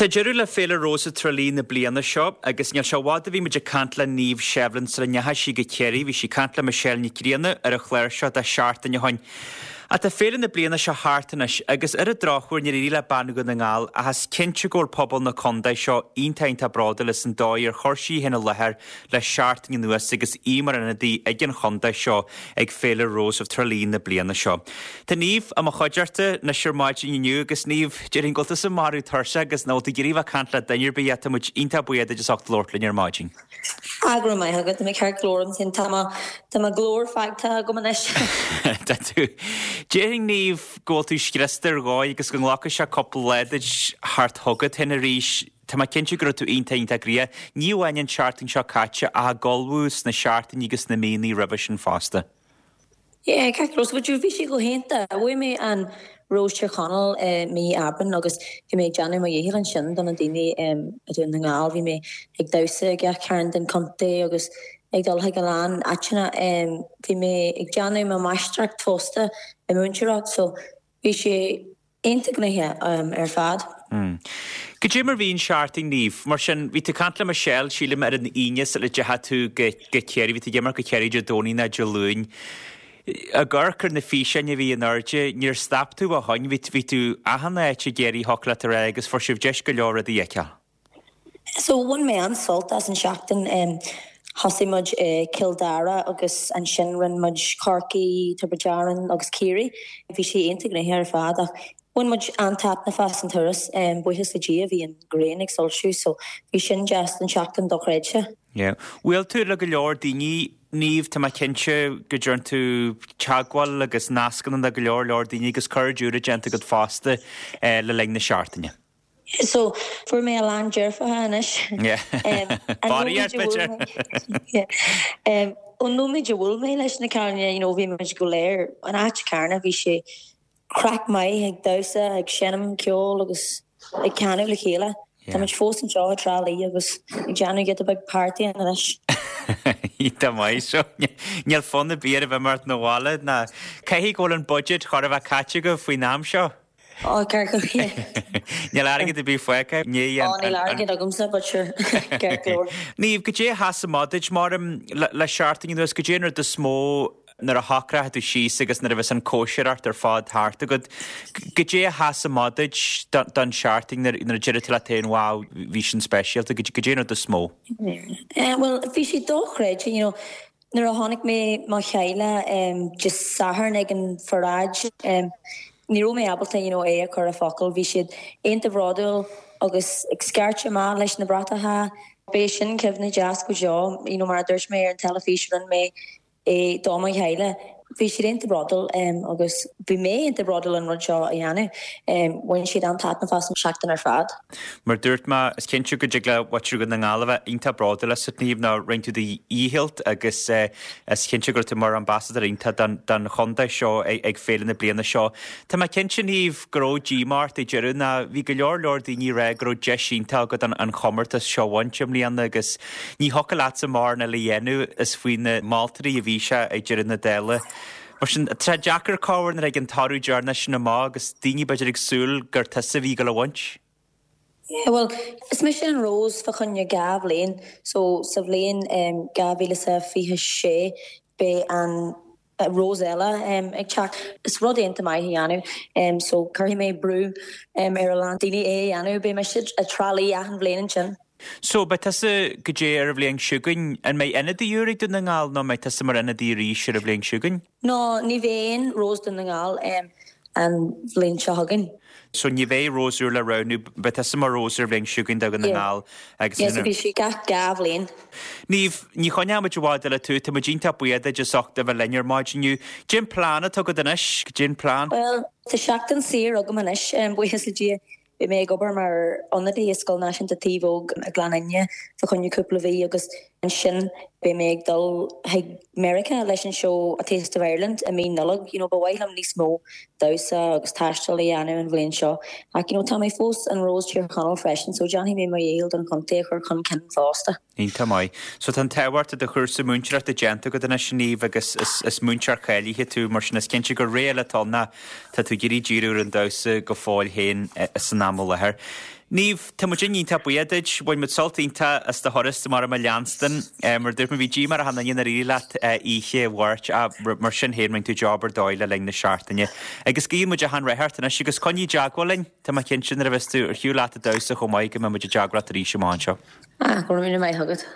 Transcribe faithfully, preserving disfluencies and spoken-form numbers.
Tá deireadh le Féile Rose Trá Lí na bliana seo agus níl sé i bhfad a bhí muid ag caint le Niamh Shevlin sula ndeachaigh sí go Ciarraí, bhí sí ag caint le Michelle Nic Grianna ar an chlár seo dhá seachtain ó shin. Ach tá féile na bliana seo thart anois agus ar an drochuair níor éirigh le bean Dhún na nGall ach is cinnte go bhfuil pobal na contae seo iontach iontach bródúil as an dóigh ar chuir sí í féin i láthair le seachtain anuas agus í mar ionadaí ag an chontae seo ag Féile Rose of Tralee na bliana seo. Tá Niamh i mo chuideachta anois ar maidin inniu agus Niamh, déarfainn go bhfuil tusa marbh tuirseach agus nach bhfuil tú ag iarraidh bheith ag caint le duine ar bith ach tá muid iontach buíoch duit as ucht labhairt linn ar maidin. Ah, go raibh maith agat, tá mé ceart go leor ansin tá mo tá mo ghlór fágtha agam anois. Tá tú. Déarfainn Niamh go bhfuil tú scriosta ar dhóigh agus go nglacfaidh sé cúpla lá duit theacht chugat féin arís. Tá mé cinnte go raibh tú iontach iontach gnoitheach. Ní amháin an tseachtain seo caite ach ag ullmhú sna seachtainí agus na míonna roimhe sin fosta. Yeah, ceart go leor, bhí sé go hiontach. Bhuaigh mé an Rose Tír Chonaill uh, mí Aibreán agus bhí mé ag déanamh mo dhícheall ansin do na daoine um, i Dún na nGall, bhí mé ag damhsa gach cearn den chontae agus ag dul chuig a lán áiteanna um, bhí mé ag déanamh mo mháistreacht fosta i múinteoireacht, so bhí sé iontach gnoitheach um, ar fad. Mm. Goidé mar bhí an seachtain Niamh, mar sin bhí tú ag caint le Michelle sílim ar an Aoine sula ndeachaigh tú go go Ciarraí, bhí tú ag imeacht go Ciarraí Dé Domhnaigh nó Dé Luain. Ag amharc ar na físeáin a bhí in airde, níor stop tú ó shoin, bhí bhí tú achan áit i gCiarraí thiocfadh leat a rá agus fuair sibh deis go leor rudaí a fheiceáil. So bhain mé an-sult as an seachtain um, thosaigh muid i Cill Dara agus ansin rinne muid Corcaigh, Tiobraid Árann agus Ciarraí. Bhí sé iontach gnoitheach ar fad ach bhain muid an-taitneamh as an turas um, buíochas le Dia bhí an ghrian ag soilsiú, so bhí sin just an seachtain dochreidte. Yeah. Bhuail tú le go leor daoine Niamh tá mé cinnte go dtearn tú teagmháil agus nascanna le go leor leor daoine agus cairde úra déanta agat fosta eh, le linn na seachtaine. So fuair mé a lán deirfiúracha anois. Yeah. Body b'fhéidir. Um, ón nóiméad a bhuail mé leis na cailíní, you know, bhí muid go léir an áit céanna bhí sé craic maith ag damhsa ag seinm ceol agus ag canadh le chéile. Tá muid fós anseo i dTrá Lí agus ag déanamh giota beag party anois. Tá maith seo níl fonn ar bith a bheith mar na bhile ná caithfidh go bhfuil an budget chor a bheith caite go faoin am seo. Ó ceart go Níl airgead ar bith fágtha ní níl airgead agamsa but sure ceart go leor. Niamh goidé a sheas amach duit mar le seachtain anuas goidé an rud is mó nuair a shocraigh tú síos agus nuair a bhí an cóisireacht ar fad thart agat. Goidé a sheas amach duit don seachtain nuair a deir tú leat féin wow bhí sin speisialta goidé an rud is mó. Uh, well bhí sé dochreidte you know, nuair a tháinig mé mo chéile um, just Satharn ag an pharáid um, ní raibh mé ábalta you know, é a chur i bhfocail, bhí siad iontach bródúil agus ag scairteadh amach leis na bratacha. B'é sin cuimhne deas go deo, you know, mar a dúirt mé ar an teilifís rinne mé é do mo chéile. Bhí siad iontach bródúil um, agus bhí mé iontach bródúil an rud seo a dhéanamh. Um, bhain siad an-taitneamh as an seachtain ar fad. Mar dúirt mé is cinnte go dtig le muintir Dhún na nGall a bheith iontach bródúil asat Niamh ná rinne tú do dhícheall agus uh, is cinnte go raibh tú mar ambassador iontach don, don chontae seo ag, ag féile na bliana seo. Tá mé cinnte Niamh go raibh díomá ort ag deireadh ná bhí go leor leor daoine rá go raibh deis iontach agat an, an chomórtas seo a bhaint i mbliana agus ní thiocfadh leatsa mórán eile a dhéanamh is faoi na moltóirí a bhí sé ag deireadh na dála. Mar sin tá deacair cabhair ag an toradh deireanach sin amach agus daoine b'fhéidir ag súil gur tusa a bhí go le bhaint. Yeah, well, is mise an Rose fá choinne dhá bhliain, so sa bhliain um, dhá mhíle sa fiche sé beidh an uh, Rose eile um, ag teacht. Is rud iontach maith a dhéanamh, um, so cuirfidh mé brú um, ar a lán daoine é a dhéanamh, beidh mise i dTrá Lí achan bhliain ansin. So beidh tusa goidé ar an bhliain seo chugainn an mbeidh ionadaí úr ag Dún na nGall nó mbeidh tusa mar ionadaí arís ar an bhliain seo chugainn? No, ní bheidh Rose Dún na nGall um, an bhliain seo chugainn. So ní bheidh Rose úr le roghnú beidh tusa mar Rose ar bhliain seo chugainn do Dhún na nGall agus Yes, bhí sé gach dhá bhliain. Ní ní choinneoidh muid i bhfad eile tú tá muid iontach buíoch duit as ucht a bheith linn ar maidin inniu. Cén plean atá agat anois cén plean? Well, tá seachtain saor agam anois um, buíochas le Dia. Bhí mé ag obair mar ionadaí i Scoil Náisiúnta Taobh Óg i Gleann Fhinne fá choinne cúpla mhí agus ansin beidh mé ag dul chuig America leis an seó A Taste of Ireland i mí Nollag, you know, ba mhaith liom níos mó damhsa agus taisteal a dhéanamh an bhliain seo. Ach you know, tá mé fós an Rose Tír Chonaill freisin, so déanfaidh mé mo dhícheall don chontae a chur chun cinn fosta. Iontach maith. So tá an tábhacht de chúrsa múinteoireachta déanta agat anois Niamh agus is, is múinteoir cáilithe tú mar sin is cinnte gur ré eile atá ná tá tú ag iarraidh díriú ar an damhsa go fóill féin san am i láthair. Niamh, tá muid iontach buíoch duit, bhain muid sult iontach as do thuras mar a leanstan, mar dúirt mé bhí díomá ar achan duine nár éirigh leat oíche Mháirt ach mar sin féin rinne tú job ar dóigh le linn na seachtaine. Agus guíonn muid achan rath ort anois agus coinnigh i dteagmháil linn, tá mé cinnte nuair a bheas tú ar shiúl leat ag damhsa chomh maith go mbeidh muid i dteagmháil leat arís amach anseo. Ah, go raibh míle maith agat.